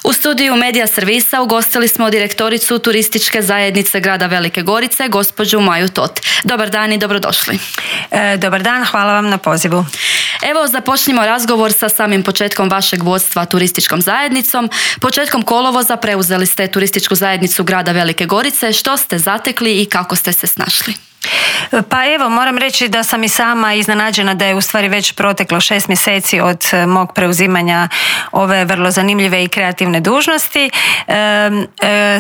U studiju Medija servisa ugostili smo direktoricu turističke zajednice grada Velike Gorice, gospođu Maju Tot. Dobar dan i dobrodošli. Dobar dan, hvala vam na pozivu. Evo, započnimo razgovor sa samim početkom vašeg vodstva turističkom zajednicom. Početkom kolovoza preuzeli ste turističku zajednicu grada Velike Gorice. Što ste zatekli i kako ste se snašli? Pa evo, moram reći da sam i sama iznenađena da je u stvari već proteklo 6 mjeseci od mog preuzimanja ove vrlo zanimljive i kreativne dužnosti.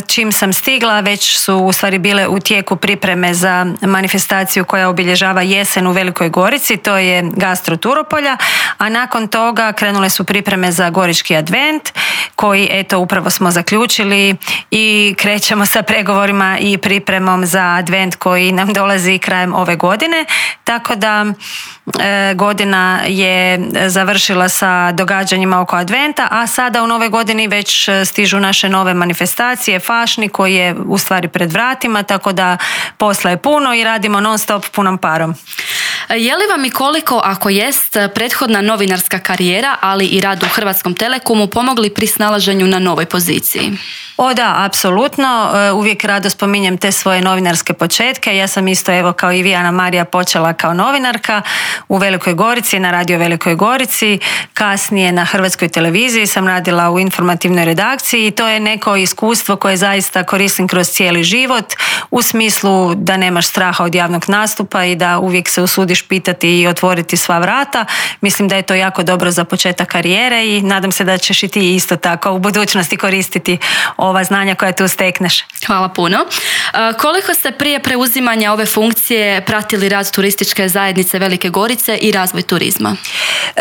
Čim sam stigla, već su u stvari bile u tijeku pripreme za manifestaciju koja obilježava jesen u Velikoj Gorici, to je Gastro Turopolja, a nakon toga krenule su pripreme za Gorički advent, koji eto upravo smo zaključili i krećemo sa pregovorima i pripremom za advent koji nam dolazi krajem ove godine, tako da godina je završila sa događanjima oko adventa, a sada u nove godini već stižu naše nove manifestacije, Fašni koji je u stvari pred vratima, tako da posla je puno i radimo non stop punom parom. Je li vam i koliko, ako jest, prethodna novinarska karijera, ali i rad u Hrvatskom Telekomu pomogli pri snalaženju na novoj poziciji? O da, apsolutno. Uvijek rado spominjem te svoje novinarske početke. Ja sam isto, evo, kao i vi, Anamarija, počela kao novinarka u Velikoj Gorici, na Radio Velikoj Gorici. Kasnije na Hrvatskoj televiziji sam radila u informativnoj redakciji i to je neko iskustvo koje zaista koristim kroz cijeli život, u smislu da nemaš straha od javnog nastupa i da uvijek se usudiš pitati i otvoriti sva vrata. Mislim da je to jako dobro za početak karijere i nadam se da ćeš i ti isto tako u budućnosti koristiti ova znanja koja tu stekneš. Hvala puno. Koliko ste prije preuzimanja ove funkcije pratili rad turističke zajednice Velike Gorice i razvoj turizma?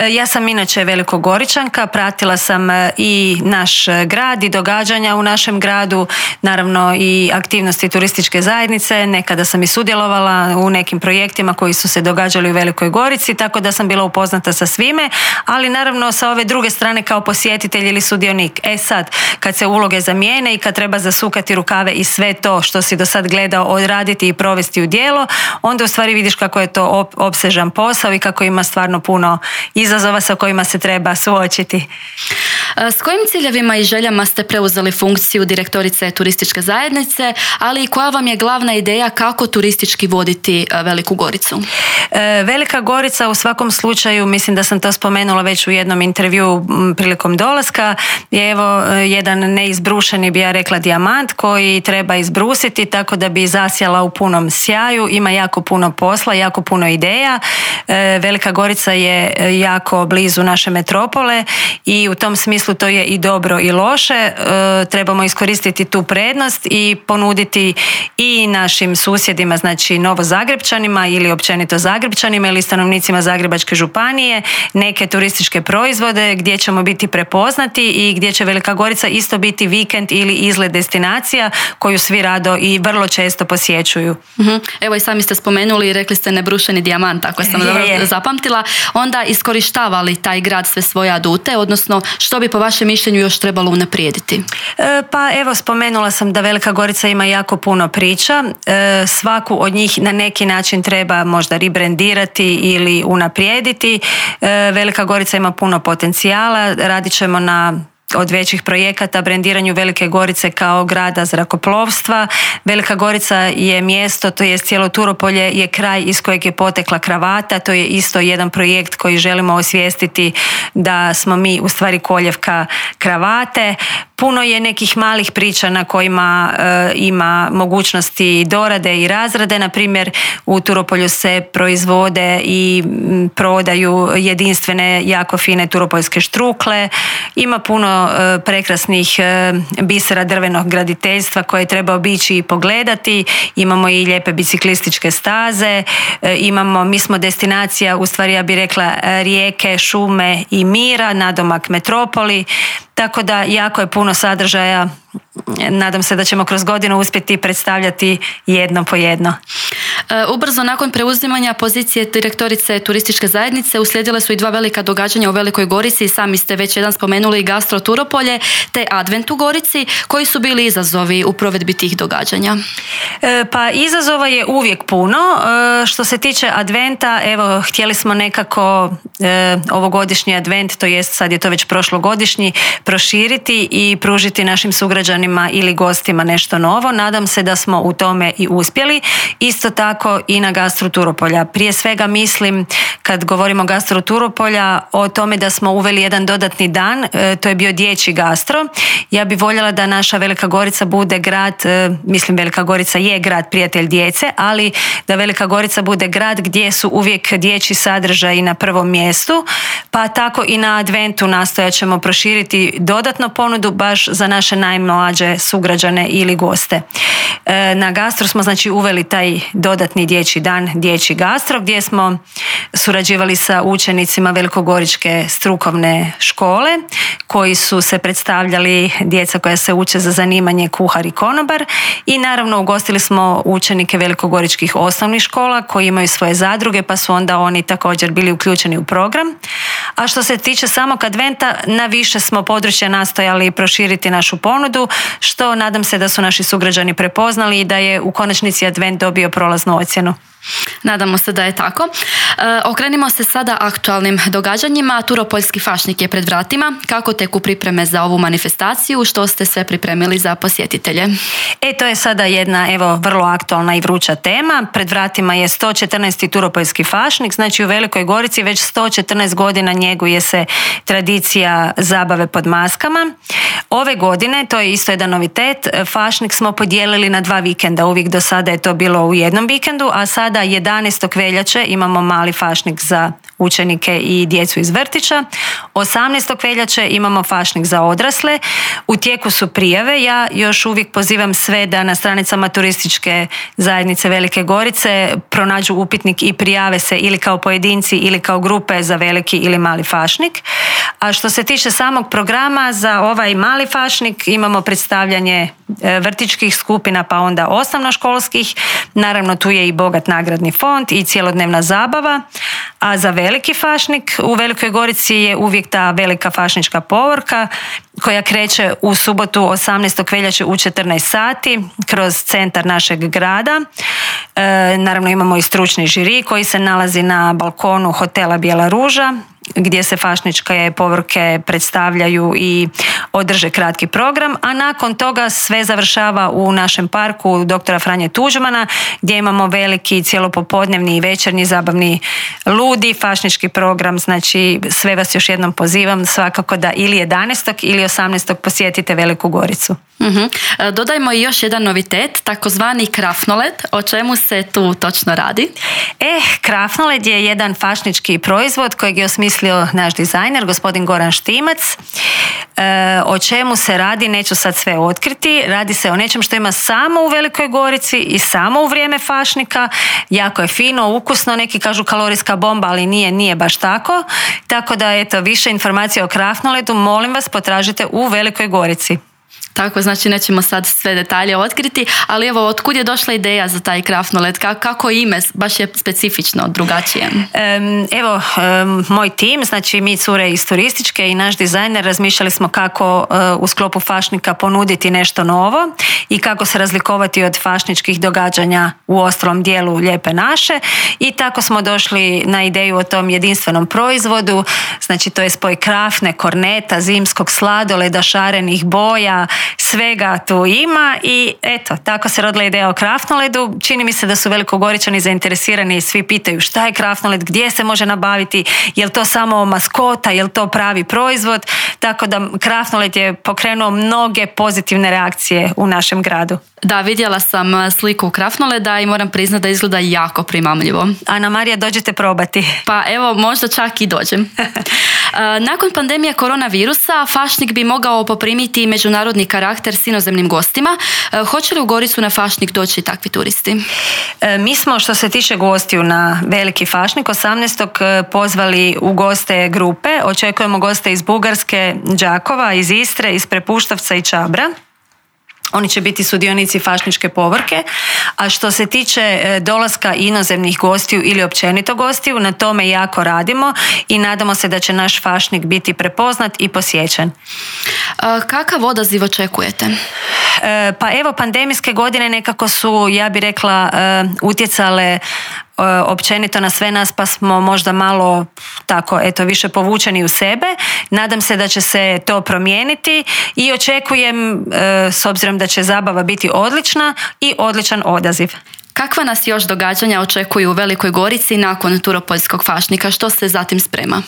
Ja sam inače Velikogoričanka, pratila sam i naš grad i događanja u našem gradu, naravno i aktivnosti turističke zajednice. Nekada sam i sudjelovala u nekim projektima koji su se događali u Velikoj Gorici, tako da sam bila upoznata sa svime, ali naravno sa ove druge strane kao posjetitelj ili sudionik. Sad, kad se uloge zamijene i kad treba zasukati rukave i sve to što si do sad gledao odraditi i provesti u djelo, onda u stvari vidiš kako je to opsežan posao i kako ima stvarno puno izazova sa kojima se treba suočiti. S kojim ciljevima i željama ste preuzeli funkciju direktorice turističke zajednice, ali i koja vam je glavna ideja kako turistički voditi Veliku Goricu? Velika Gorica u svakom slučaju, mislim da sam to spomenula već u jednom intervjuu prilikom dolaska, je evo jedan neizbrušeni, bi ja rekla, dijamant koji treba izbrusiti tako da bi zasjala u punom sjaju. Ima jako puno posla, jako puno ideja. Velika Gorica je jako blizu naše metropole i u tom smislu to je i dobro i loše. Trebamo iskoristiti tu prednost i ponuditi i našim susjedima, znači Novozagrepčanima ili općenito Zagrepčanima ili stanovnicima Zagrebačke županije neke turističke proizvode gdje ćemo biti prepoznati i gdje će Velika Gorica isto biti vikend ili izlet destinacija koju svi rado i vrlo često posjećuju. Evo i sami ste spomenuli i rekli ste nebrušeni dijamant, ako sam dobro zapamtila. Onda iskorištava li taj grad sve svoje adute, odnosno što bi po vašem mišljenju još trebalo unaprijediti? Pa evo, spomenula sam da Velika Gorica ima jako puno priča. Svaku od njih na neki način treba možda rebrendirati ili unaprijediti. Velika Gorica ima puno potencijala, radit ćemo od većih projekata brendiranju Velike Gorice kao grada zrakoplovstva. Velika Gorica je mjesto, to je cijelo Turopolje, je kraj iz kojeg je potekla kravata. To je isto jedan projekt koji želimo osvijestiti da smo mi u stvari koljevka kravate. Puno je nekih malih priča na kojima ima mogućnosti dorade i razrade. Na primjer, u Turopolju se proizvode i prodaju jedinstvene, jako fine turopoljske štrukle. Ima puno prekrasnih bisera drvenog graditeljstva koje treba obići i pogledati. Imamo i lijepe biciklističke staze. Mi smo destinacija, u stvari ja bih rekla, rijeke, šume i mira, nadomak metropoli. Tako da jako je puno sadržaja nadam se da ćemo kroz godinu uspjeti predstavljati jedno po jedno. Ubrzo nakon preuzimanja pozicije direktorice turističke zajednice uslijedile su i 2 velika događanja u Velikoj Gorici. Sami ste već jedan spomenuli Gastro Turopolje te Advent u Gorici. Koji su bili izazovi u provedbi tih događanja? Pa izazova je uvijek puno. Što se tiče Adventa, evo, htjeli smo nekako ovogodišnji Advent, to jest sad je to već prošlogodišnji, proširiti i pružiti našim sugrađanima ili gostima nešto novo. Nadam se da smo u tome i uspjeli. Isto tako i na Gastro Turopolja. Prije svega mislim, kad govorimo o Gastro Turopolja, o tome da smo uveli jedan dodatni dan, to je bio dječji gastro. Ja bi voljela da naša Velika Gorica bude grad, mislim Velika Gorica je grad prijatelj djece, ali da Velika Gorica bude grad gdje su uvijek dječji sadržaji na prvom mjestu, pa tako i na Adventu nastojat ćemo proširiti dodatno ponudu baš za naše najmlađe sugrađane ili goste. Na gastro smo znači uveli taj dodatni dječji dan, dječji gastro, gdje smo surađivali sa učenicima Velikogoričke strukovne škole koji su se predstavljali, djeca koja se uče za zanimanje kuhar i konobar, i naravno ugostili smo učenike velikogoričkih osnovnih škola koji imaju svoje zadruge, pa su onda oni također bili uključeni u program. A što se tiče samog Adventa, na više smo područja nastojali proširiti našu ponudu, što nadam se da su naši sugrađani prepoznali i da je u konačnici Advent dobio prolaznu ocjenu. Nadamo se da je tako. Okrenimo se sada aktualnim događanjima. Turopoljski fašnik je pred vratima. Kako teku pripreme za ovu manifestaciju? Što ste sve pripremili za posjetitelje? To je sada jedna vrlo aktualna i vruća tema. Pred vratima je 114. Turopoljski fašnik. Znači u Velikoj Gorici već 114 godina njeguje se tradicija zabave pod maskama. Ove godine, to je isto jedan novitet, fašnik smo podijelili na 2 vikenda. Uvijek do sada je to bilo u jednom vikendu, a sada 11. veljače imamo mali fašnik za učenike i djecu iz vrtića. 18. veljače imamo fašnik za odrasle. U tijeku su prijave. Ja još uvijek pozivam sve da na stranicama turističke zajednice Velike Gorice pronađu upitnik i prijave se ili kao pojedinci ili kao grupe za veliki ili mali fašnik. A što se tiče samog programa za ovaj mali fašnik, imamo predstavljanje vrtićkih skupina, pa onda osnovnoškolskih. Naravno tu je i bogat nagradni fond i cjelodnevna zabava. A za veliki fašnik u Velikoj Gorici je uvijek ta velika fašnička povorka koja kreće u subotu 18. veljače u 14 sati kroz centar našeg grada. Naravno imamo i stručni žiri koji se nalazi na balkonu hotela Bijela ruža, gdje se fašničke povorke predstavljaju i održe kratki program, a nakon toga sve završava u našem parku dr. Franje Tuđmana, gdje imamo veliki cijelopopodnevni i večernji zabavni ludi fašnički program. Znači sve vas još jednom pozivam svakako da ili 11. ili 18. posjetite Veliku Goricu. Dodajmo i još jedan novitet, takozvani krafnoled. O čemu se tu točno radi? Krafnoled je jedan fašnički proizvod kojeg je osmislio naš dizajner, gospodin Goran Štimac. O čemu se radi, neću sad sve otkriti. Radi se o nečem što ima samo u Velikoj Gorici i samo u vrijeme fašnika. Jako je fino, ukusno, neki kažu kalorijska bomba, ali nije baš tako. Tako da, više informacija o krafnoledu, molim vas, potražite u Velikoj Gorici. Tako, znači nećemo sad sve detalje otkriti, ali otkud je došla ideja za taj krafnoled? Kako ime? Baš je specifično, drugačije. Moj tim, znači mi cure iz turističke i naš dizajner razmišljali smo kako u sklopu fašnika ponuditi nešto novo i kako se razlikovati od fašničkih događanja u ostalom dijelu Lijepe naše, i tako smo došli na ideju o tom jedinstvenom proizvodu. Znači to je spoj krafne, korneta, zimskog sladoleda, šarenih boja, svega tu ima i tako se rodila ideja o krafnoledu. Čini mi se da su Velikogoričani zainteresirani i svi pitaju šta je krafnoled, gdje se može nabaviti, je li to samo maskota, je li to pravi proizvod, tako da krafnoled je pokrenuo mnoge pozitivne reakcije u našem gradu. Da, vidjela sam sliku krafnoleda i moram priznati da izgleda jako primamljivo. Ana Marija, dođite probati. Pa možda čak i dođem. Nakon pandemije koronavirusa, fašnik bi mogao poprimiti međunarodni karakter s inozemnim gostima. Hoće li u Goricu na fašnik doći takvi turisti? Mi smo, što se tiče gostiju na veliki fašnik, 18. pozvali u goste grupe. Očekujemo goste iz Bugarske, Đakova, iz Istre, iz Prepuštavca i Čabra. Oni će biti sudionici Fašničke povorke, a što se tiče dolaska inozemnih gostiju ili općenito gostiju, na tome jako radimo i nadamo se da će naš Fašnik biti prepoznat i posjećen. Kakav odaziv očekujete? Pa evo, pandemijske godine nekako su, ja bih rekla, utjecale općenito na sve nas, pa smo možda malo tako, više povučeni u sebe. Nadam se da će se to promijeniti i očekujem, s obzirom da će zabava biti odlična, i odličan odaziv. Kakva nas još događanja očekuju u Velikoj Gorici nakon Turopoljskog Fašnika? Što se zatim sprema?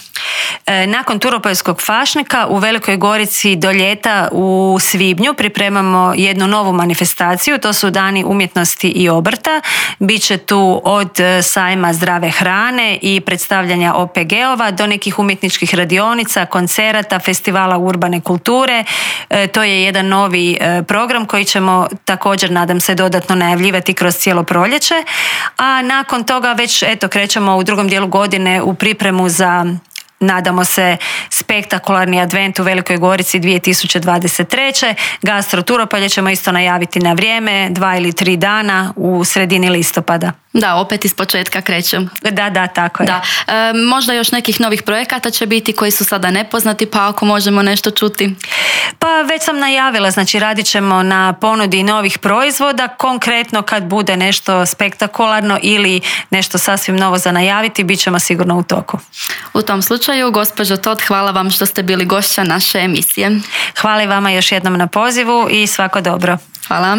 Nakon Turopoljskog Fašnika u Velikoj Gorici do ljeta u svibnju pripremamo jednu novu manifestaciju. To su Dani umjetnosti i obrta. Biće tu od sajma zdrave hrane i predstavljanja OPG-ova do nekih umjetničkih radionica, koncerata, festivala urbane kulture. To je jedan novi program koji ćemo također, nadam se, dodatno najavljivati kroz cijelo proljeće. A nakon toga već krećemo u drugom dijelu godine u pripremu za, nadamo se, spektakularni advent u Velikoj Gorici 2023. Gastro Turopolje ćemo isto najaviti na vrijeme, 2 ili 3 dana u sredini listopada. Da, opet iz početka kreću. Da, tako je. Da. Možda još nekih novih projekata će biti koji su sada nepoznati, pa ako možemo nešto čuti. Pa već sam najavila, znači radit ćemo na ponudi novih proizvoda. Konkretno kad bude nešto spektakularno ili nešto sasvim novo za najaviti, bit ćemo sigurno u toku. U tom slučaju, gospođo Tot, hvala vam što ste bili gošća naše emisije. Hvala i vama još jednom na pozivu i svako dobro. Hvala.